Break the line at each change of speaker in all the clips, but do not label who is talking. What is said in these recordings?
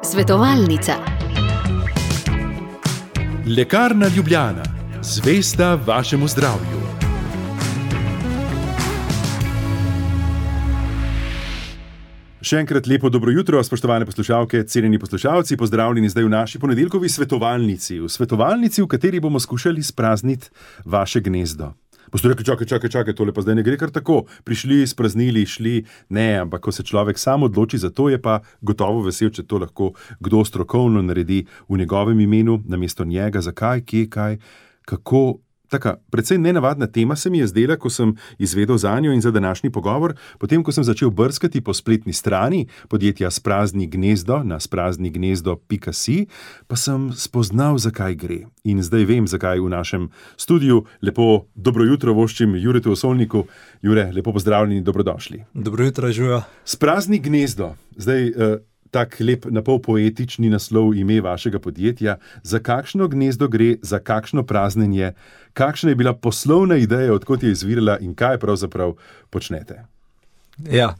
Svetovalnica.
Lekarna Ljubljana, zvesta vašemu zdravju. Še enkrat lepo dobro jutro, spoštovane poslušalke, cenjeni poslušalci, pozdravljeni zdaj v naši ponedeljkovi svetovalnici. V svetovalnici, v kateri bomo skušali sprazniti vaše gnezdo. Boste rekli, čakaj, tole pa zdaj ne gre kar tako. Prišli, spraznili, šli, ne, ampak ko se človek sam odloči za to, je pa gotovo vesel, če to lahko kdo strokovno naredi v njegovem imenu, namesto njega, zakaj, kje, kaj, kako. Taka precej nenavadna tema se mi je zdela, ko sem izvedel zanjo in za današnji pogovor, potem ko sem začel brskati po spletni strani podjetja Sprazni gnezdo na spraznignezdo.si, pa sem spoznal, zakaj gre. In zdaj vem, zakaj v našem studiu. Lepo dobro jutro voščim Juretu Osolniku. Jure, lepo pozdravljeni, dobrodošli.
Dobro jutro, Žujo.
Sprazni gnezdo. Zdaj, tak lep, napol poetični naslov ime vašega podjetja. Za kakšno gnezdo gre, za kakšno praznenje, kakšna je bila poslovna ideja, odkot je izvirala in kaj pravzaprav počnete?
Ja,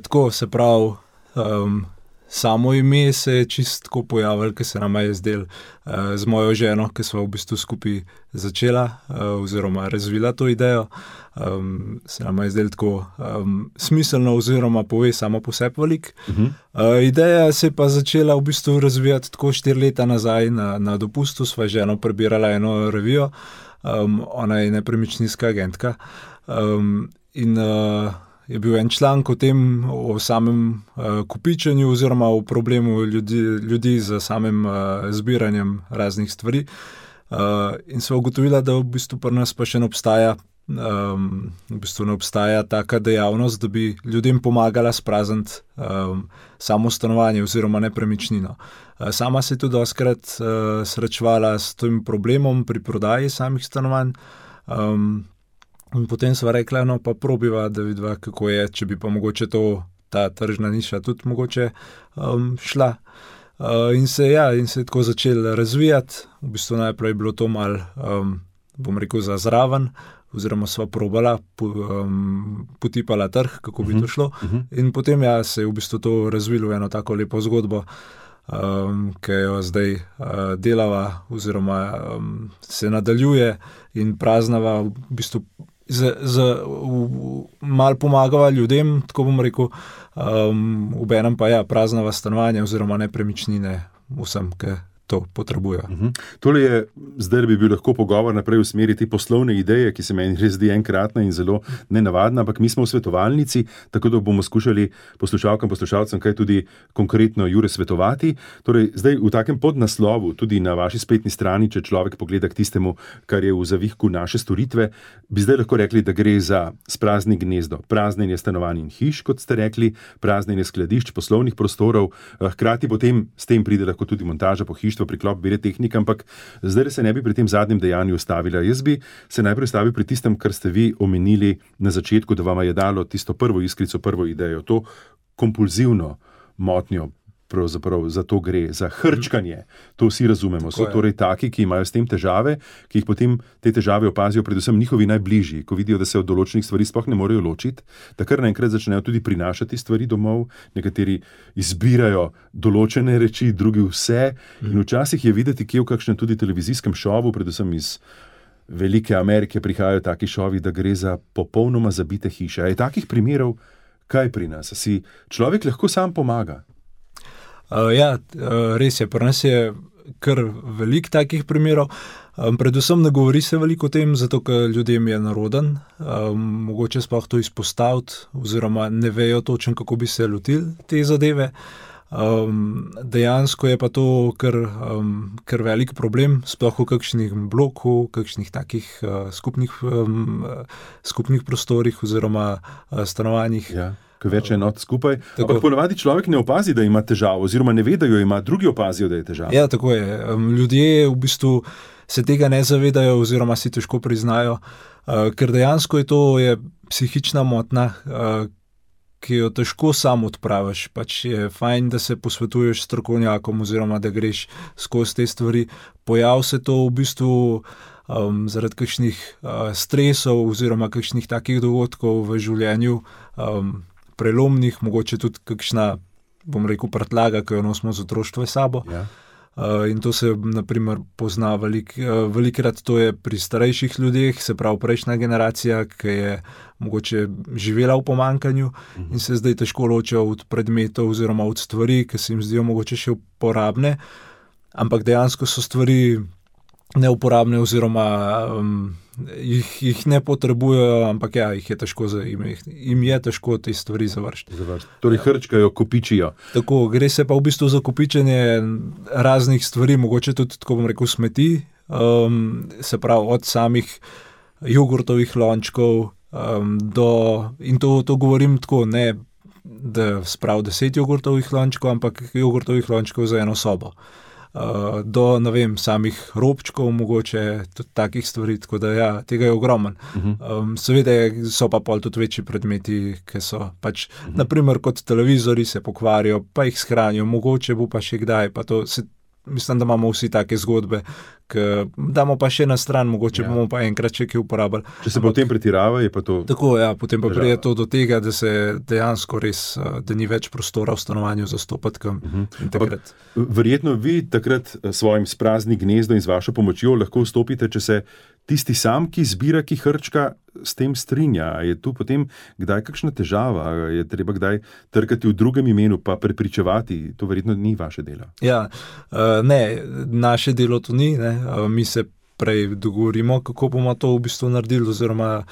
tako se pravi, samo ime se je čisto pojavilo, ker se nama je zdel z mojo ženo, ki sva v bistvu skupaj začela oziroma razvila to idejo. Se nama je zdel tako smiselno oziroma pove samo po sebi veliko. Ideja se je pa začela v bistvu razvijati tako 4 leta nazaj na dopustu. Sva ženo prebirala eno revijo, ona je nepremičninska agentka in je bil en članek o tem, o samem kopičenju oziroma o problemu ljudi z samim zbiranjem raznih stvari. In sva ugotovila, da v bistvu pri nas pa še ne obstaja taka dejavnost, da bi ljudem pomagala sprazniti samo stanovanje oziroma nepremičnino. Sama se je tudi dostikrat srečevala s tem problemom pri prodaji samih stanovanj. In potem sva rekla, no pa probiva, da vidiva, kako je, če bi pa mogoče ta tržna niša tudi mogoče šla. In se je tako začel razvijati. V bistvu najprej je bilo to malo, bom rekel, za zraven, oziroma sva probala, potipala trg, kako bi to šlo. In potem se je v bistvu to razvilo v eno tako lepo zgodbo, ki jo zdaj delava oziroma se nadaljuje in praznava v bistvu malo pomagava ljudem, tako bom rekel, obenem pa praznava stanovanja oziroma nepremičnine vsem, ki to potrebujejo.
Tole je, zdaj bi bil lahko pogovor naprej v smeri te poslovne ideje, ki se meni res zdi enkratna in zelo nenavadna, ampak mi smo v svetovalnici, tako da bomo skušali poslušalcem kaj tudi konkretno Jure svetovati. Torej, zdaj v takem podnaslovu, tudi na vaši spletni strani, če človek pogleda k tistemu, kar je v zavihku naše storitve, bi zdaj lahko rekli, da gre za sprazni gnezdo, praznjenje stanovanj in hiš, kot ste rekli, praznjenje skladišč, poslovnih prostorov, hkrati potem s tem pride lahko tudi montaža pohištva, priklop bire tehnika, ampak zdaj se ne bi pri tem zadnjem dejanju ustavila. Jaz bi se najprej stavil pri tistem, kar ste vi omenili na začetku, da vam je dalo tisto prvo iskrico, prvo idejo, to kompulzivno motnjo, pravzaprav za to gre, za hrčkanje. To vsi razumemo. So torej taki, ki imajo s tem težave, ki jih potem te težave opazijo predvsem njihovi najbližji, ko vidijo, da se od določenih stvari sploh ne morejo ločiti, da kar naenkrat začnejo tudi prinašati stvari domov, nekateri izbirajo določene reči, drugi vse. In včasih je videti, kje v kakšnem tudi televizijskem šovu, predvsem iz Velike Amerike prihajajo taki šovi, da gre za popolnoma zabite hiše. Je takih primerov kaj pri nas? Si človek lahko sam pomaga?
Res je, pri nas je kar veliko takih primerov. Predvsem ne govori se veliko o tem, zato ker ljudem je neroden, mogoče sploh to izpostaviti oziroma ne vejo točno, kako bi se lotili te zadeve. Dejansko je pa to kar velik problem, sploh v kakšnih bloku, kakšnih takih skupnih prostorih oziroma stanovanjih.
Ja. Ko več enot skupaj. Ampak ponavadi človek ne opazi, da ima težavo, oziroma ne ve, da jo ima, drugi opazijo, da je težava.
Ja, tako je. Ljudje v bistvu se tega ne zavedajo oziroma si težko priznajo, ker dejansko je psihična motnja, ki jo težko sam odpraviš. Pač je fajn, da se posvetuješ s strokovnjakom oziroma da greš skozi te stvari. Pojav se to v bistvu zaradi kakšnih stresov oziroma kakšnih takih dogodkov v življenju prelomnih, mogoče tudi kakšna, bom rekel, prtlaga, ki jo nosimo z otroštva sabo.
Ja.
In to se naprimer pozna velikrat, to je pri starejših ljudeh, se pravi prejšnja generacija, ki je mogoče živela v pomanjkanju in se zdaj težko ločijo od predmetov oziroma od stvari, ki se jim zdijo mogoče še uporabne, ampak dejansko so stvari neuporabne oziroma jih ne potrebujejo, ampak ja, jim je težko te stvari završiti.
Torej hrčkajo, kopičijo.
Tako, gre se pa v bistvu za kopičenje raznih stvari, mogoče tudi, tako bom rekel, smeti, se pravi od samih jogurtovih lončkov in to govorim tako, ne da sprav 10 jogurtovih lončkov, ampak jogurtovih lončkov za eno sobo. Do, ne vem, samih robčkov, mogoče tudi takih stvari, tako da ja, tega je ogromen. Seveda so pa pol tudi večji predmeti, ki so pač, naprimer kot televizori se pokvarijo, pa jih shranijo, mogoče bo pa še kdaj, pa to mislim, da imamo vsi take zgodbe, ki damo pa še na stran, mogoče bomo pa enkrat še kaj uporabili.
Če se potem pretirava, je pa to...
Tako, ja, potem pa pride to do tega, da se dejansko res, da ni več prostora v stanovanju za stopatkam.
Verjetno vi takrat svojim sprazni gnezdom in z vašo pomočjo lahko vstopite, če se tisti sam, ki zbira, ki hrčka, s tem strinja. Je tu potem kdaj kakšna težava? Je treba kdaj trkati v drugem imenu pa prepričevati? To verjetno ni vaše delo.
Ja, ne, naše delo to ni, ne. Mi se prej dogovorimo, kako bomo to v bistvu naredili, oziroma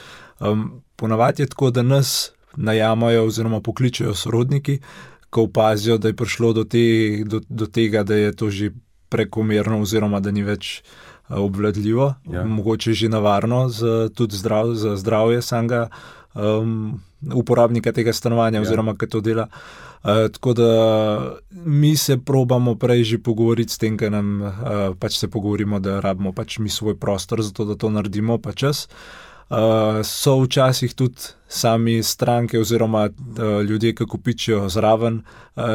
ponavadi je tako, da nas najamajo oziroma pokličejo sorodniki, ko opazijo, da je prišlo do tega, da je to že prekomerno oziroma da ni več obvladljivo, mogoče že nevarno tudi za zdravje samega uporabnika tega stanovanja oziroma ki to dela. Tako da mi se probamo prej že pogovoriti s tem, ker nam pač se pogovorimo, da rabimo pač mi svoj prostor za to, da to naredimo pa čas. So včasih tudi sami stranke oziroma ljudje, ki kopičijo zraven,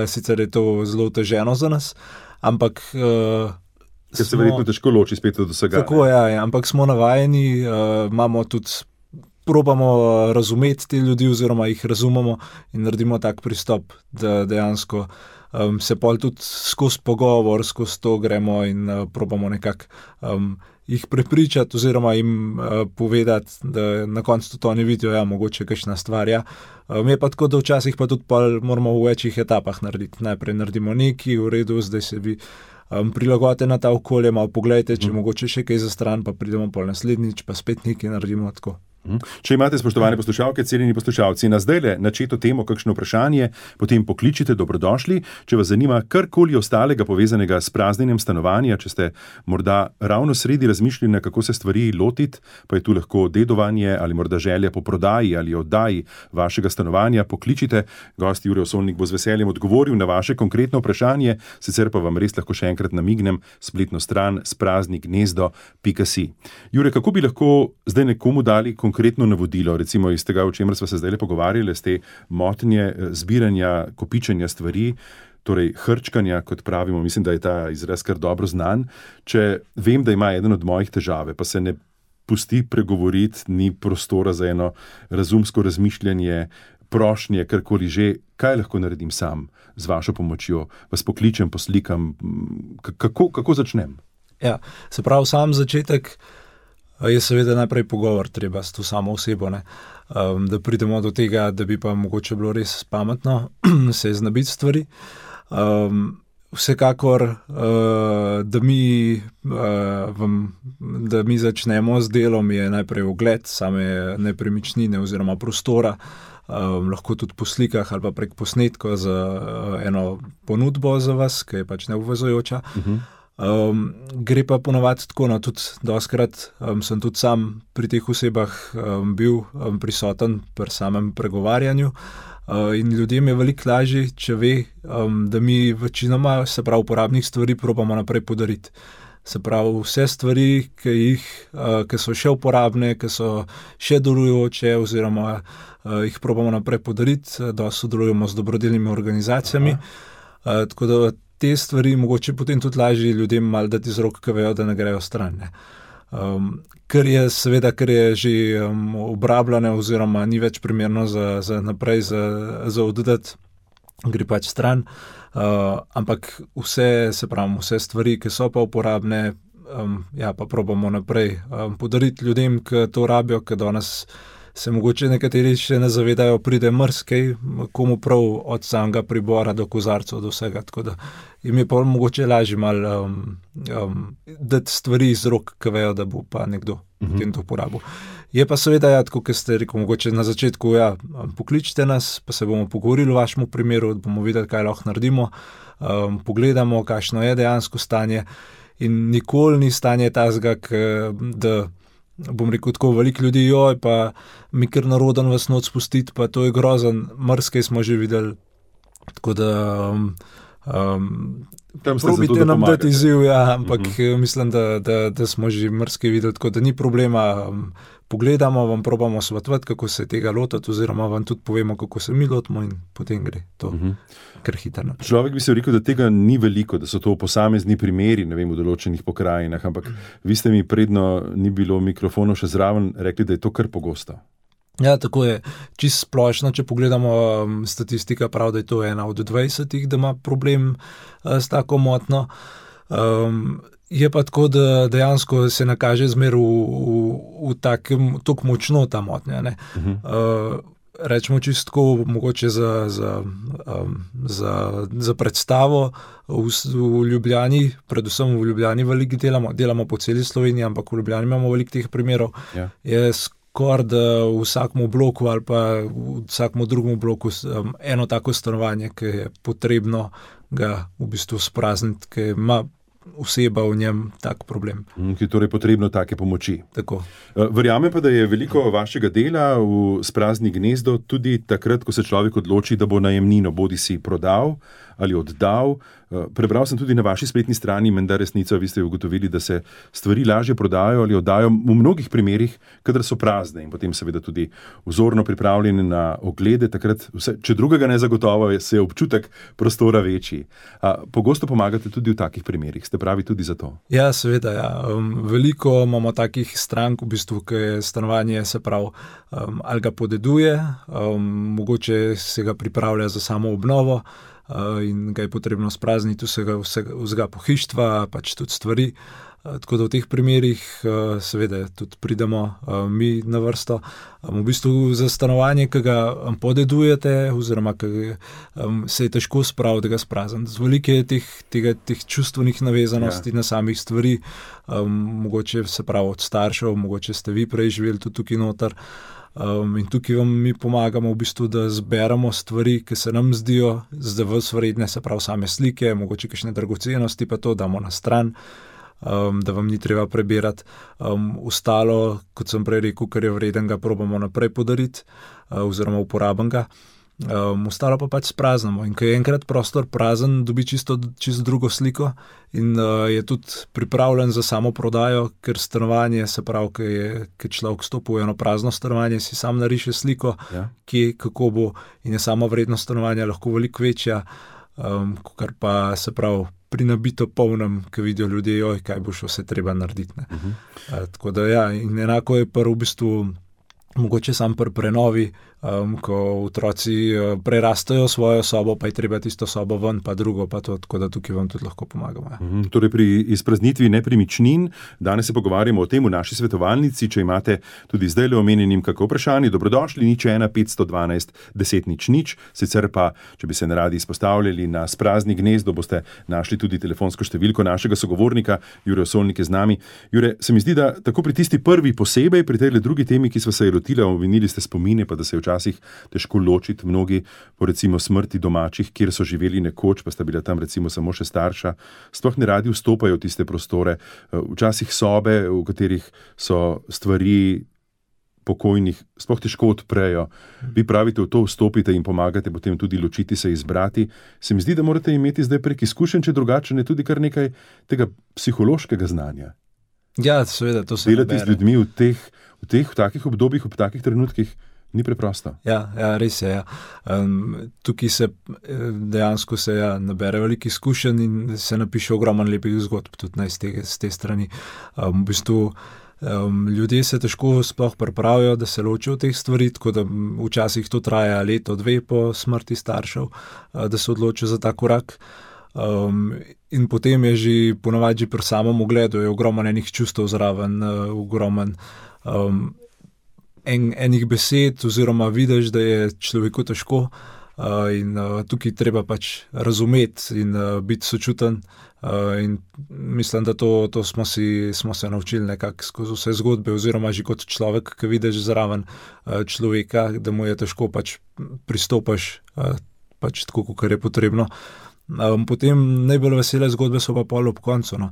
sicer je to zelo oteženo za nas, ampak
ker se verjetno težko loči spet od vsega.
Tako, ja, ampak smo navajeni, imamo tudi, probamo razumeti te ljudi oziroma jih razumemo in naredimo tak pristop, da dejansko se pol tudi skozi pogovor, skozi to gremo in probamo nekako jih prepričati oziroma jim povedati, da na koncu tudi oni vidijo, ja, mogoče kakšna stvar, ja. Je pa tako, da včasih pa tudi moramo v večjih etapah narediti. Najprej naredimo nekaj, v redu, zdaj se vi prilagodite na ta okolje, malo pogledajte, če mogoče še kaj za stran, pa pridemo pol naslednjič, pa spet nekaj naredimo tako.
Če imate, spoštovane poslušalke, cenjeni poslušalci, na zdajle načeto temo kakšno vprašanje, potem pokličite, dobrodošli. Če vas zanima karkoli ostalega povezanega s praznjenjem stanovanja, če ste morda ravno sredi razmišljanja, kako se stvari lotiti, pa je tu lahko dedovanje ali morda želja po prodaji ali oddaji vašega stanovanja, pokličite. Gost Jure Osolnik bo z veseljem odgovoril na vaše konkretno vprašanje, sicer pa vam res lahko še enkrat namignem spletno stran spraznignezdo.si. Jure, kako bi lahko zdaj nekomu dali konkretno navodilo, recimo iz tega, o čemer smo se zdaj pogovarjali, z te motnje zbiranja, kopičenja stvari, torej hrčkanja, kot pravimo, mislim, da je ta izraz kar dobro znan. Če vem, da ima eden od mojih težave, pa se ne pusti pregovoriti, ni prostora za eno razumsko razmišljanje, prošnje, karkoli že, kaj lahko naredim sam z vašo pomočjo? Vas pokličem, poslikam, kako začnem?
Ja, se pravi, sam začetek je seveda najprej pogovor treba s to samo osebo, ne? Da pridemo do tega, da bi pa mogoče bilo res pametno se znebiti stvari. Vsekakor, da mi začnemo z delom, je najprej ogled same nepremičnine oziroma prostora, lahko tudi po slikah ali pa prek posnetkov za eno ponudbo za vas, ki je pač neobvezujoča. Gre pa ponavadi tako, tudi dostikrat sem tudi sam pri teh osebah bil prisoten pri samem pregovarjanju in ljudem je veliko lažje, če ve, da mi večinoma, se pravi, uporabnih stvari probamo naprej podariti. Se pravi, vse stvari, ki so še uporabne, ki so še delujoče oziroma jih probamo naprej podariti, da sodelujemo z dobrodelnimi organizacijami. Tako da te stvari mogoče potem tudi lažje ljudem malo dati iz rok, ki vejo, da ne grejo stran. Ker je že obrabljeno oziroma ni več primerno za naprej, za oddati, gre pač stran. Ampak vse stvari, ki so pa uporabne, pa probamo naprej podariti ljudem, ki to rabijo, ki danes se mogoče nekateri še ne zavedajo, pride marsikaj, komu prav od samega pribora do kozarcev, do vsega, tako da jim je pa mogoče lažje malo dati stvari iz rok, ki vejo, da bo pa nekdo potem to uporabil. Je pa seveda, tako kot ste rekel, mogoče na začetku, pokličite nas, pa se bomo pogovorili v vašem primeru, da bomo videli, kaj lahko naredimo, pogledamo, kakšno je dejansko stanje in nikoli ni stanje tazga, da bom rekel tako, veliko ljudi, pa mi kar naroden vas noč spustiti, pa to je grozen, marsikaj smo že videli, tako da probite nam dati izziv, ampak mislim, da smo že marsikaj videli, tako da ni problema, pogledamo, vam probamo svetovati, kako se tega lotiti, oziroma vam tudi povemo, kako se mi lotimo in potem gre to kar hitro naprej.
Človek bi se rekel, da tega ni veliko, da so to posamezni primeri, ne vem, v določenih pokrajinah, ampak vi ste mi predno ni bilo mikrofonov še zraven rekli, da je to kar pogosto.
Ja, tako je. Čisto splošno, če pogledamo, statistika pravi, da je to 1 od 20, da ima problem s tako motnjo. Je pa tako, da dejansko se nakaže zmer v takem, tako močno ta motnja. Rečemo čisto mogoče za predstavo v Ljubljani, predvsem v Ljubljani veliko delamo po celi Sloveniji, ampak v Ljubljani imamo veliko teh primerov. Je skoraj da v vsakem bloku ali pa v vsakem drugem bloku eno tako stanovanje, ki je potrebno ga v bistvu sprazniti, ki ima oseba v njem tak problem.
Ki je torej potrebno take pomoči.
Tako.
Verjamem pa, da je veliko vašega dela v Sprazni gnezdo tudi takrat, ko se človek odloči, da bo najemnino bodisi prodal ali oddal. Prebral sem tudi na vaši spletni strani, menda resnica, vi ste ugotovili, da se stvari lažje prodajo ali oddajo v mnogih primerih, kadar so prazne in potem seveda tudi vzorno pripravljene na oglede, takrat vse, če drugega ne zagotovo, se je občutek prostora večji. Pogosto pomagate tudi v takih primerih, ste pravi tudi za to?
Ja, seveda, veliko imamo takih strank, v bistvu, ki je stanovanje, se pravi, ali ga podeduje, mogoče se ga pripravlja za samo obnovo, in ga je potrebno sprazniti vsega pohištva, pač tudi stvari. Tako da v teh primerih seveda tudi pridemo mi na vrsto. V bistvu za stanovanje, ki ga podedujete, oziroma ki se je težko spraviti, da ga sprazniti. Z veliko je teh čustvenih navezanosti na samih stvari, mogoče se pravi od staršev, mogoče ste vi prej živeli tudi tukaj noter. In tukaj vam mi pomagamo v bistvu, da zberemo stvari, ki se nam zdijo za vas vredne, se pravi same slike, mogoče kakšne dragocenosti, pa to damo na stran, da vam ni treba prebirati. Ostalo, kot sem prej rekel, kar je vreden, ga probamo naprej podariti, oziroma uporaben ga. Ostalo pa pač spraznamo. In ko je enkrat prostor prazen, dobi čisto drugo sliko in je tudi pripravljen za samo prodajo, ker stanovanje, se pravi, ki človek stopi v eno prazno stanovanje, si sam nariše sliko, kje, kako bo, in je sama vrednost stanovanja lahko veliko večja, kar pa, se pravi, pri nabito polnem, ki vidijo ljudje, kaj bo še vse treba narediti. Tako da in enako je pa v bistvu mogoče sam pri prenovi, ko otroci prerastajo svojo sobo, pa je treba tisto sobo ven, pa drugo, pa to, tako da tukaj vam tudi lahko pomagamo.
Torej pri izpraznitvi nepremičnin, danes se pogovarjamo o tem v naši svetovalnici, če imate tudi zdaj le omenjenim kako vprašanje, dobrodošli, 01 512 10 00, sicer pa, če bi se neradi izpostavljali na Sprazni gnezdo, boste našli tudi telefonsko številko našega sogovornika, Jure Osolnik je z nami. Jure, se mi zdi, da tako pri tisti prvi posebej, pri tej drugi temi, ki sva se je lotila, omenili ste spomine, pa da se je včasih težko ločiti mnogi po recimo smrti domačih, kjer so živeli nekoč, pa sta bila tam recimo samo še starša, sploh ne radi vstopajo v tiste prostore, včasih sobe, v katerih so stvari pokojnih, sploh težko odprejo. Vi pravite, v to vstopite in pomagate potem tudi ločiti se, izbrati. Se mi zdi, da morate imeti zdaj prek izkušenj, če drugače ne tudi kar nekaj tega psihološkega znanja.
Ja, seveda, to se
delati z ljudmi v takih obdobjih, v takih trenutkih, Ni preprosto.
Ja, res je. Ja. Tukaj se dejansko nabere veliko izkušenj in se napiše ogromno lepih zgodb tudi z te strani. V bistvu ljudje se težko sploh pripravijo, da se ločijo teh stvari, tako da včasih to traja leto, dve po smrti staršev, da se odločijo za ta korak. In potem je že ponavadi pri samem ogledu je ogromno enih čustev zraven, ogromno enih besed oziroma vidiš, da je človeku težko in tukaj treba pač razumeti in biti sočuten in mislim, da to smo se naučili nekako skozi vse zgodbe oziroma že kot človek, ki vidiš zraven človeka, da mu je težko pač pristopaš pač tako, kot je potrebno. Potem najbolj vesele zgodbe so pa pol ob koncu. No.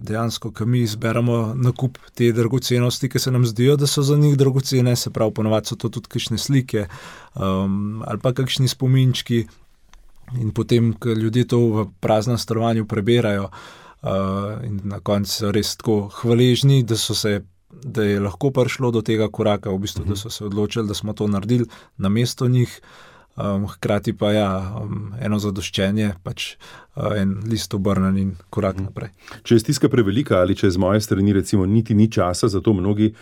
Dejansko, ko mi izberemo nakup te dragocenosti, ki se nam zdijo, da so za njih dragocene, se pravi, ponovadi so to tudi kakšne slike ali pa kakšni spominčki in potem, ko ljudje to v praznem stanovanju preberajo in na koncu so res tako hvaležni, da je lahko prišlo do tega koraka, v bistvu, da so se odločili, da smo to naredili namesto njih. Hkrati pa eno zadoščenje, pač en list obrnen in korak naprej.
Če je stiska prevelika ali če z moje strani recimo niti ni časa, zato mnogi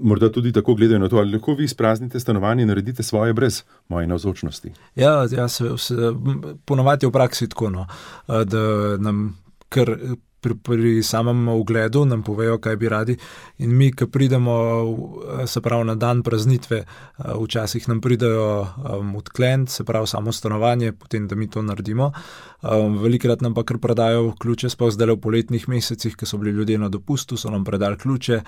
morda tudi tako gledajo na to, ali lahko vi izpraznite stanovanje in naredite svoje brez moje navzočnosti.
Ja, ponavadi je v praksi tako, no, da nam kar pri samem ogledu nam povejo, kaj bi radi in mi, ko pridemo, se pravi na dan praznitve, včasih nam pridejo odkleniti, se pravi samo stanovanje, potem, da mi to naredimo. Velikrat nam pa kar predajo ključe, sploh zdaj v poletnih mesecih, ko so bili ljudje na dopustu, so nam predali ključe,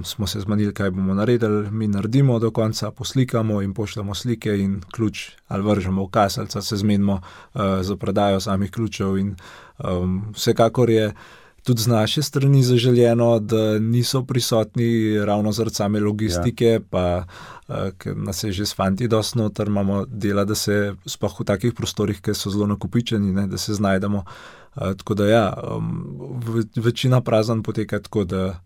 smo se zmenili, kaj bomo naredili, mi naredimo do konca, poslikamo in pošljemo slike in ključ ali vržemo v kaselca, se zmenimo za predajo samih ključev in vsekakor je tudi z naše strani zaželjeno, da niso prisotni ravno zaradi same logistike, pa ker nas je že s fanti dosti noter, imamo dela, da se sploh v takih prostorih, ki so zelo nakupičeni, da se znajdemo. Tako da večina prazan poteka tako, da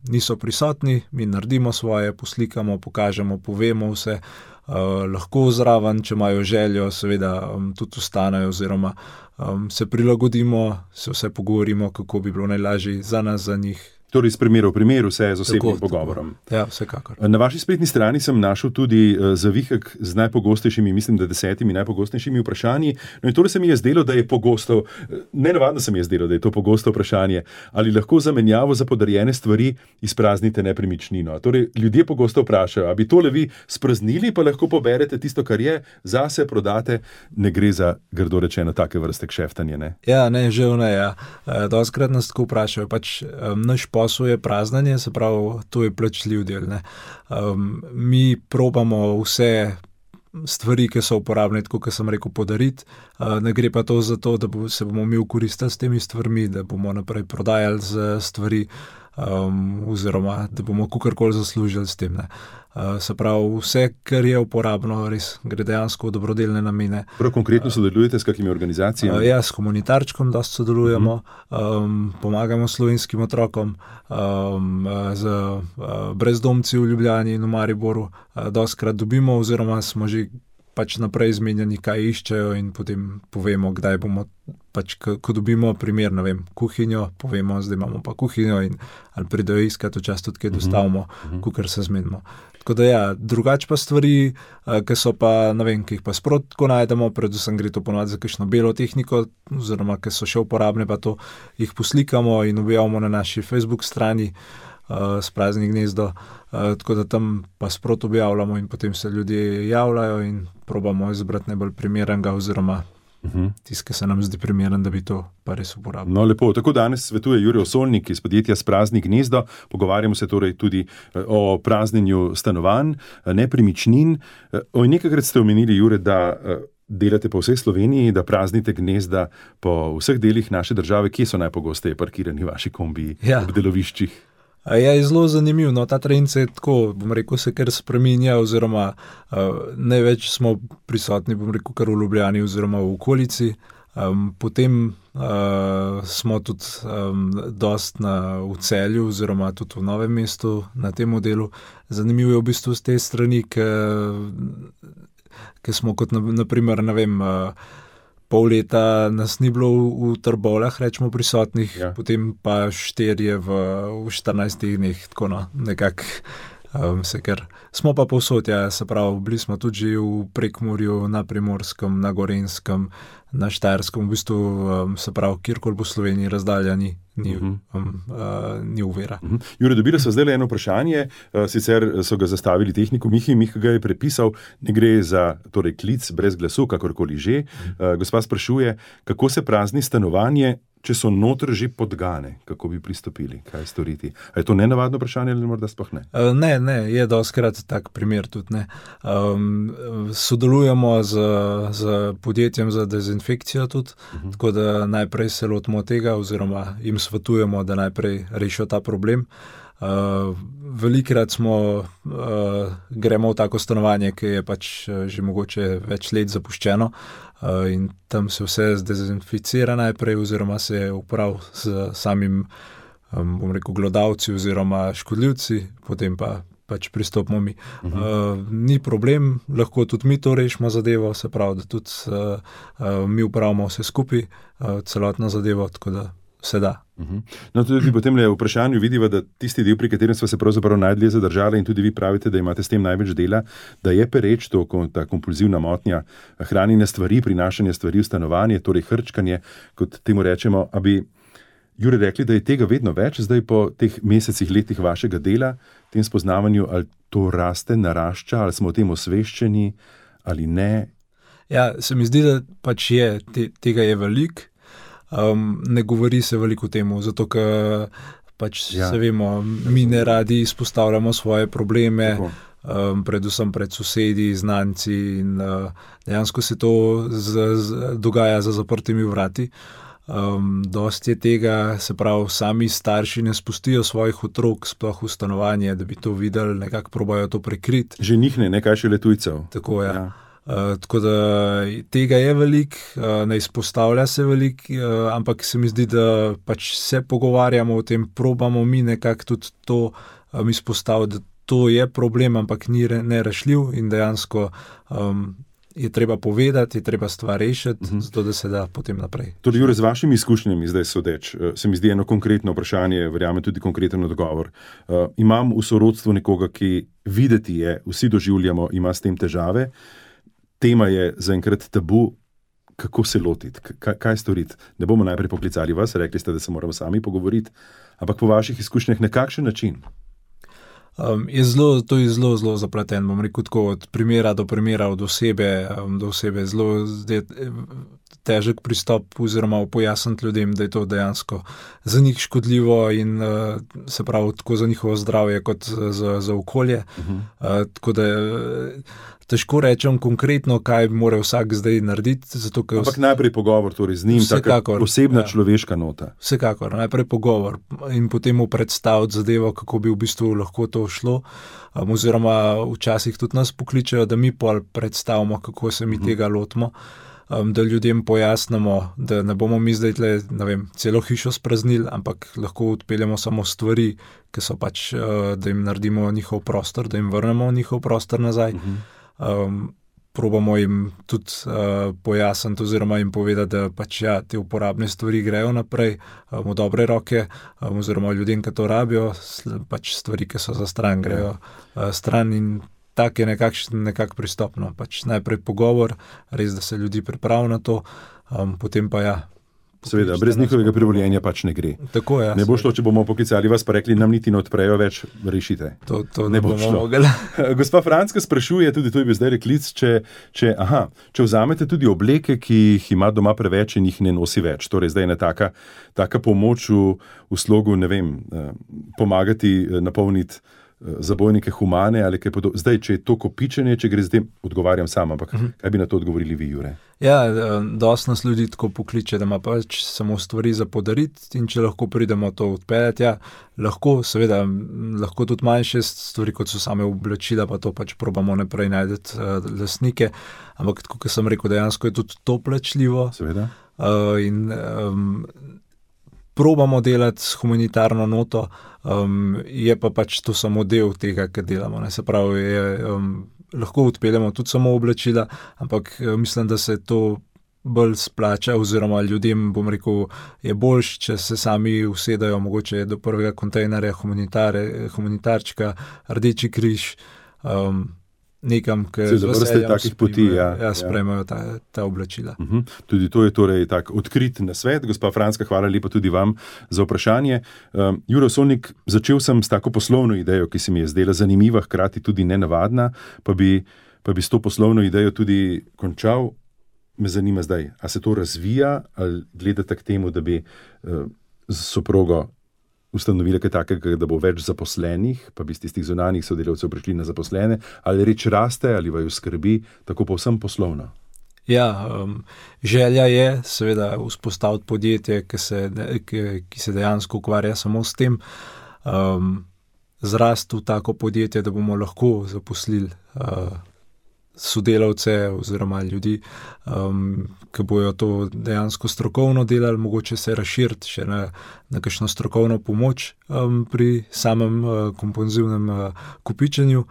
niso prisotni, mi naredimo svoje, poslikamo, pokažemo, povemo vse, lahko zraven, če imajo željo, seveda tudi ostanejo oziroma se prilagodimo, se vse pogovorimo, kako bi bilo najlažje za nas, za njih.
Torej, iz primera v primer, vse z osebnim pogovorom.
Ja, vsekakor.
Na vaši spletni strani sem našel tudi zavihek z najpogostejšimi, mislim, da 10 najpogostejšimi vprašanji. No in torej se mi je zdelo, da je pogosto, nenavadno se mi je zdelo, da je to pogosto vprašanje, ali lahko za menjavo za podarjene stvari izpraznite nepremičnino. Torej, ljudje pogosto vprašajo, a bi tole vi spraznili, pa lahko poberete tisto, kar je, zase prodate, ne gre za, grdo rečeno, take vrste kšeftanje, ne?
Ja, ne, žal ne, ja. Dostikrat nas tako vprašajo, pač naš posel je praznanje, se pravi, to je plačljiv del. Ne. Mi probamo vse stvari, ki so uporabne, tako kot sem rekel, podariti. Ne gre pa to za to, da se bomo mi ukoristili s temi stvarmi, da bomo naprej prodajali stvari oziroma da bomo kakorkoli zaslužili s tem. Ne. Se pravi, vse, kar je uporabno, res gre dejansko v dobrodelne namene.
Prav konkretno sodelujete s kakimi organizacijami?
Ja, s Humanitarčkom dosti sodelujemo, pomagamo slovenskim otrokom, z brezdomci v Ljubljani in v Mariboru dostikrat dobimo oziroma smo že pač naprej izmenjani, kaj iščejo in potem povemo, kdaj bomo, pač ko dobimo primer, ne vem, kuhinjo, povemo, zdaj imamo pa kuhinjo in ali pridejo iskati, včasih tudi kaj dostavimo, kakor se zmenimo. Tako da ja, drugače pa stvari, ki so pa, ne vem, ki jih pa sproti tako najdemo, predvsem gre to ponovadi za kakšno belo tehniko, oziroma ki so še uporabne, pa to jih poslikamo in objavimo na naši Facebook strani s Prazni gnezdo, tako da tam pa sproti objavljamo in potem se ljudje javljajo in probamo izbrati najbolj primernega oziroma tisti, ki se nam zdi primeren, da bi to pa res uporabili.
No, lepo. Tako danes svetuje Jure Osolnik iz podjetja S Prazni gnezdo. Pogovarjamo se torej tudi o praznjenju stanovanj, nepremičnin. Nekajkrat ste omenili, Jure, da delate po vsej Sloveniji, da praznite gnezda po vseh delih naše države. Kje so najpogosteje parkirani vaši kombiji ob deloviščih?
Ja, je zelo zanimiv. No, ta trend se tako, bom rekel, se kar spreminja oziroma največ smo prisotni, bom rekel, kar v Ljubljani oziroma v okolici. Potem smo tudi dost v Celju oziroma tudi v Novem mestu na tem modelu. Zanimivo je v bistvu z te strani, ki smo kot naprimer, ne vem, pol leta nas ni bilo v Trbovljah, rečemo, prisotnih, potem pa 4 v 14 dneh, tako nekako ker smo pa povsod, se pravi, bili smo tudi že v Prekmurju, na Primorskem, na Gorenjskem, na Štajerskem, v bistvu se pravi, kjerkoli po Sloveniji razdalja ni uvira.
Jure, dobili so zdaj eno vprašanje, sicer so ga zastavili tehniku Miha ga je prepisal, ne gre za torej klic brez glasu, kakorkoli že. Gospa sprašuje, kako se prazni stanovanje, če so noter že podgane, kako bi pristopili, kaj storiti? A je to nenavadno vprašanje ali morda sploh ne?
Ne, je dostikrat tak primer tudi, ne. Sodelujemo z podjetjem za dezinfekcijo tudi, tako da najprej se lotimo tega oziroma jim svetujemo, da najprej rešijo ta problem. Velikrat gremo v tako stanovanje, ki je pač že mogoče več let zapuščeno, in tam se vse zdezinficira najprej oziroma se upravi z samim, bom rekel, glodavci oziroma škodljivci, potem pa pač pristopimo mi. Ni problem, lahko tudi mi to rešimo zadevo, se pravi, da tudi mi upravimo vse skupaj, celotno zadevo, tako da se da.
No, tudi potem le v vprašanju vidiva, da tisti del, pri katerem smo se pravzaprav najdlje zadržali, in tudi vi pravite, da imate s tem največ dela, da je pereč to, ta kompulzivna motnja hranjenja stvari, prinašanja stvari v stanovanje, torej hrčkanje, kot temu rečemo. A bi, Jure, rekli, da je tega vedno več, zdaj po teh mesecih, letih vašega dela, tem spoznavanju, ali to raste, narašča, ali smo o tem osveščeni, ali ne?
Ja, se mi zdi, da pač tega je veliko. Ne govori se veliko o tem, zato ker pač se vemo, mi ne radi izpostavljamo svoje probleme, predvsem pred sosedi, znanci, in dejansko se to dogaja za zaprtimi vrati. Dosti je tega, se pravi, sami starši ne spustijo svojih otrok sploh v stanovanje, da bi to videli, nekako probajo to prekriti.
Že njih ne, kaj šele tujcev.
Tako, ja. Tako da tega je veliko, ne izpostavlja se veliko, ampak se mi zdi, da pač se pogovarjamo o tem, probamo mi nekako tudi to izpostaviti, da to je problem, ampak ni nerešljiv in dejansko je treba povedati, je treba stvar rešiti, zato da se da potem naprej.
Torej, Jure, z vašimi izkušnjami zdaj sodeč, se mi zdi eno konkretno vprašanje, verjamem tudi konkreten odgovor. Imam v sorodstvu nekoga, ki videti je, vsi doživljamo, ima s tem težave. Tema je zaenkrat tabu, kako se lotiti, kaj storiti. Ne bomo najprej poklicali vas, rekli ste, da se moramo sami pogovoriti, ampak po vaših izkušnjah na kakšen način?
To je zelo zapleten, bom rekel tako, od primera do primera, od osebe do osebe, zelo težek pristop oziroma pojasniti ljudem, da je to dejansko za njih škodljivo in se pravi tako za njihovo zdravje kot za okolje. Tako da težko rečem konkretno, kaj mora vsak zdaj narediti.
Ampak najprej pogovor torej z njim, taka osebna človeška nota.
Vsekakor, najprej pogovor in potem mu predstaviti zadevo, kako bi v bistvu lahko to šlo. Oziroma včasih tudi nas pokličejo, da mi pol predstavimo, kako se mi tega lotimo. Da ljudem pojasnimo, da ne bomo mi zdaj celo hišo spraznili, ampak lahko odpeljemo samo stvari, ki so pač, da jim naredimo njihov prostor, da jim vrnemo njihov prostor nazaj. Probamo jim tudi pojasniti oziroma jim povedati, da pač te uporabne stvari grejo naprej v dobre roke, oziroma ljudem, ki to rabijo, pač stvari, ki so za stran, grejo stran, in tak je nekako pristopno. Pač najprej pogovor, res, da se ljudi pripravi na to, potem pa
Seveda, brez njihovega privoljenja pač ne gre.
Tako je.
Ne bo šlo, če bomo poklicali vas pa rekli, nam niti ne odprejo več, rešite.
To ne bo šlo.
Gospa Franska sprašuje, tudi to je bil zdaj reklic, če vzamete tudi obleke, ki jih ima doma preveč in jih ne nosi več. Torej zdaj je taka pomoč v slogu, ne vem, pomagati napolniti zabojnike humane ali kaj podobno. Zdaj, če je to kopičenje, če gre zdaj, odgovarjam sam, ampak kaj bi na to odgovorili vi, Jure?
Ja, dosti nas ljudi tako pokliče, da ima pač samo stvari za podariti, in če lahko pridemo to odpeljati, lahko, seveda, lahko tudi manjše stvari, kot so same oblačila, pa to pač probamo naprej najdeti lastnike, ampak tako, kot sem rekel, dejansko je tudi to plačljivo.
Seveda.
in probamo delati s humanitarno noto, je pa pač to samo del tega, kar delamo. Se pravi, lahko odpeljemo tudi samo oblačila, ampak mislim, da se to bolj splača, oziroma ljudem, bom rekel, je boljš, če se sami usedajo mogoče do prvega kontejnerja humanitarčka, Rdeči križ, nekam, ki z veseljem sprejmejo ta oblačila.
Tudi to je torej tak odkrit nasvet. Gospa Franska, hvala lepa tudi vam za vprašanje. Juro Solnik, začel sem s tako poslovno idejo, ki se mi je zdela zanimiva, hkrati tudi nenavadna, pa bi s to poslovno idejo tudi končal. Me zanima zdaj, a se to razvija, ali gledate k temu, da bi z soprogo ustanovili kaj takega, da bo več zaposlenih, pa bi z tistih zunanjih sodelavcev prišli na zaposlene, ali reč raste, ali vaju skrbi, tako povsem poslovno?
Ja, želja je seveda vzpostaviti podjetje, ki se dejansko ukvarja samo s tem, zrasti v tako podjetje, da bomo lahko zaposlili sodelavce oziroma ljudi, ki bojo to dejansko strokovno delali, mogoče se razširiti še na kakšno strokovno pomoč pri samem kompulzivnem kopičenju,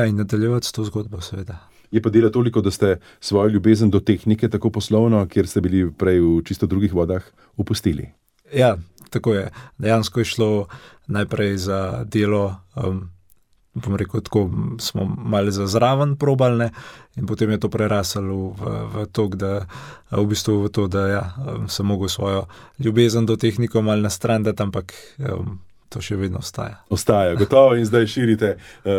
in nadaljevati s to zgodbo, seveda.
Je pa dela toliko, da ste svojo ljubezen do tehnike tako poslovno, kjer ste bili prej v čisto drugih vodah, opustili?
Ja, tako je. Dejansko je šlo najprej za delo, bom rekel, tako smo malo za zraven probali, in potem je to preraslo v to, da sem mogel svojo ljubezen do tehniko malo nastrandati, ampak to še vedno ostaja.
Ostaja, gotovo, in zdaj širite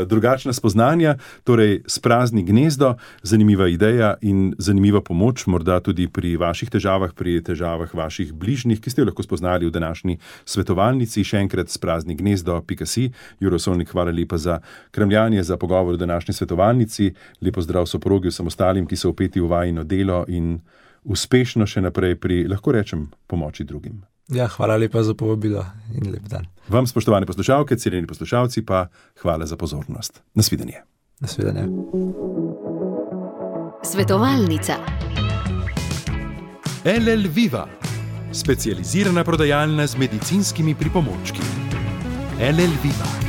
drugačna spoznanja, torej Sprazni gnezdo, zanimiva ideja in zanimiva pomoč, morda tudi pri vaših težavah, pri težavah vaših bližnjih, ki ste jo lahko spoznali v današnji svetovalnici. Še enkrat spraznignezdo.si. Juro Solnik, hvala lepa za kremljanje, za pogovor v današnji svetovalnici. Lepo zdrav soprogi, vsem ostalim, ki so vpeti v vajino delo, in uspešno še naprej pri, lahko rečem, pomoči drugim.
Ja, hvala lepa za povabilo in lep dan.
Vam, spoštovane poslušalke, cenjeni poslušalci, pa hvala za pozornost. Nasvidenje.
Nasvidenje.
Svetovalnica.
LL Viva, specializirana prodajalna z medicinskimi pripomočki. LL Viva.